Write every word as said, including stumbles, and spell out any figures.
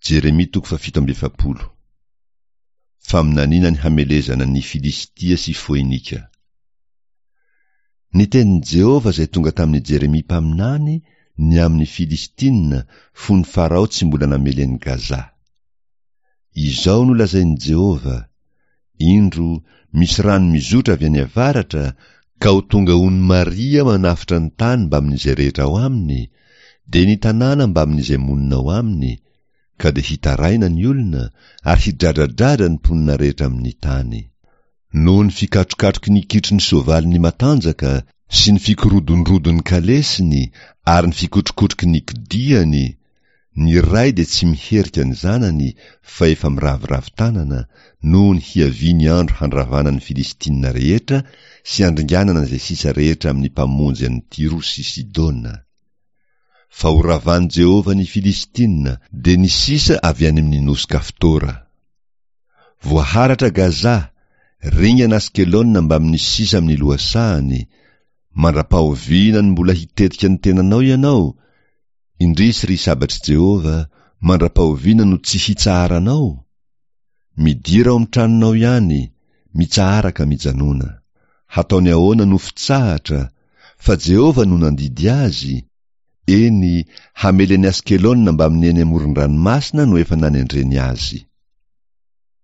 Jeremia toko fahafito amby efapolo. Faminaniana ny hamelezana ny Filistia sy Foinika. Ny tenin'i Jehovah izay tonga tamin'i Jeremia mpaminany ny amin'ny Filistina fony Farao tsy mbola namely an'i Gaza. Izao no lazain'i Jehovah, Indro, misy rano mizotra avy any avaratra, ka ho tonga ony Maria manafotra ny tany mbamin'izay rehetra ao aminy, dia ny tanàna mbamin'izay monina ao aminy, ka dia hitaraina ny olona ary hidradradradra ny mponina rehetra amin'ny tany. Noho ny fikatrokatroky ny kitron'ny soavaliny matanjaka sy ny fikorodondrodon'ny kalesiny ary ny fikotrokotroky ny kodiany, ny ray dia tsy miherika ny zanany fa efa miraviravy tanana, noho ny hiavian'ny andro handravana ny Filistina rehetra sy handringanana izay sisa rehetra amin'ny mpamonjy an'i Tyro sy Sidona. Fa horavan'i Jehovah ny Filistina, dia ny sisa avy any amin'ny nosy Kaftora. Voaharatra Gaza, ringana Askelona mbamin'ny sisa amin'ny lohasahany, mandra-pahoviana no mbola hitetika ny tenanao ianao? Indrisy ry sabatr'i Jehovah, mandra-pahoviana no tsy hitsaharanao? Midira ao amin'ny tranonao ihany, mitsahara ka mijanona. Hataony ahoana no fitsahatra, fa Jehovah no nandidy azy? Eny, hamely an'i Askelona mbamin'ny eny amoron-dranomasina no efa nanendreny azy.